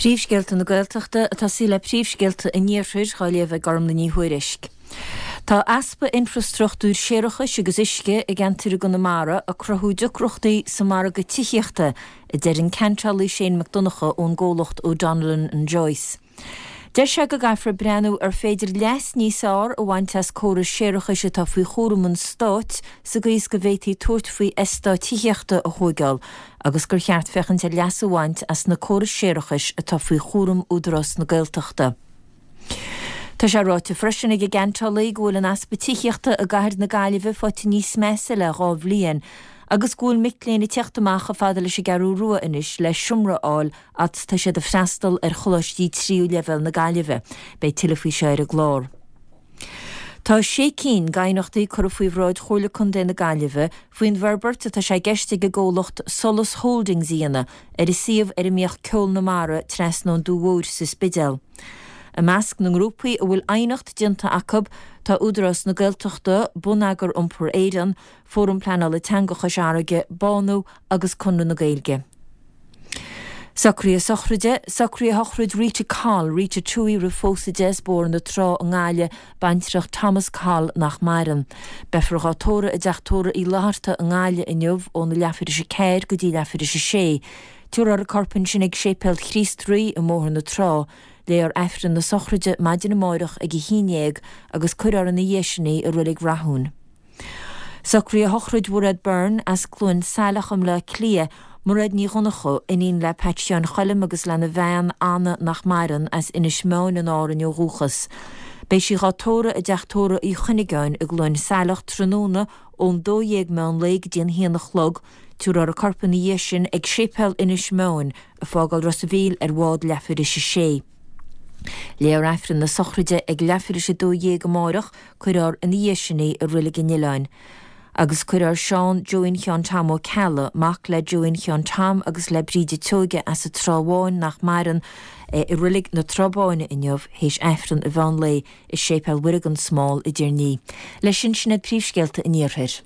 Príomhscéalta na Gaeltachta ag tosaí le príomhscéalta an Iarthair á léamh ag Gormlaith Ní Thuairisg. Tá easpa infreastruchtúir séarachais agus uisce i gceantair i gConamara ag cruthú deacrachtaí sa margadh tithíochta, a deir an ceantálaí Shane Mac Donncha ón gcomhlacht O'Donnellan and Joyce. Deir sé go gcaithfear breathnú ar féidir leas níos fearr a bhaint as córais séarachais atá faoi chúram an stáit sa gcaoi is go bhféadfaí tabhairt faoi eastáit tithíochta a thóigeáil agus gur cheart féachaint ar leas a bhaint as na córais séarachais atá faoi chúram Údarás na Gaeltachta. Tá sé ráite freisin ag an gceantálaí go bhfuil an easpa tithíochta i gcathair na Gaillimhe faighte níos measa le 2 bhliain agus go bhfuil mic léinn ag teacht amach chomh fada leis an gCeathrú Rua anois le seomra a fháil fhad 's tá siad ag freastal ar choláistí tríú leibhéal na Gaillimhe. Beidh tuilleadh faoi seo ar an gclár. Tá sé cinn d'aighneachtaí curtha faoi bhráid Chomhairle Contae na Gaillimhe faoin bhforbairt atá sé i gceist ag an gcomhlacht Solas Holdings a dhéanamh ar an suíomh ar a mbíodh Ceol na Mara trasna ón Dumha Mhóir sa Spidéal. I measc na ngrúpaí a bhfuil aighneacht déanta acu tá Údarás na Gaeltachta, Bonneagar Iompair Éireann, Fóram Pleanála Teanga Chois Fharraige, Bánú agus Conradh na Gaeilge. Socruithe sochraide, Socruithe shochraid Rita Coll, Rita Tuohy roimh phósadh di as Bóthar na Trá i nGaillimh, baintreach Thomas Coll nach maireann. Beifear dhá tórramh i dTeach Tórraimh Uí Fhlatharta i nGaillimh inniu óna leathuair théis a 4 go dtí leathuair théis a 6. Tabharfar a corp ansin ag Séipéal Chríost Rí i mBóthar na Trá. Léifear Aifreann na sochraide maidin amáireach ag a 11 agus cuirfear ina dhiaidh sin í i Reilig Rathúin. Socruithe shochraid Mhairéad Byrne as Cluain Saileach i mBleá Cliath, Mairéad Ní Dhonnchú, iníon le Pat Sheáin Choilm agus lena bhean, Anna, nach maireann, as Inis Meáin in Árainn ó dhúchas. Beidh sí dhá tórramh i dTeach Tórraimh Uí Chuinneagáin i gCluain Saileach tráthnóna ón 12 meán lae go dtí an haon a chlog, Tabharfar a corp ina dhiaidh sin ag Séipéal Inis Meáin, ag fágáil Ros a' Mhíl ar bhád leathuair théis a sé. Léifear Aifreann na sochraide ag leathuair théis a 12 amáireach, Cuirfear ina dhiaidh sin í i Reilig an Oileáin. Agus cuirfear Seán Joeín Sheáin Tom Ó Ceallaigh, mac le Joeín Sheáin Tom agus le Bríde Teoige as an Trá Bháin nach maireann, i Reilig na Trá Báine inniu théis Aifreann an mheán lae i Séipéal Mhuire gan Smál i dTír an Fhia. Leis sin, sin iad príomhscéalta an Iarthair.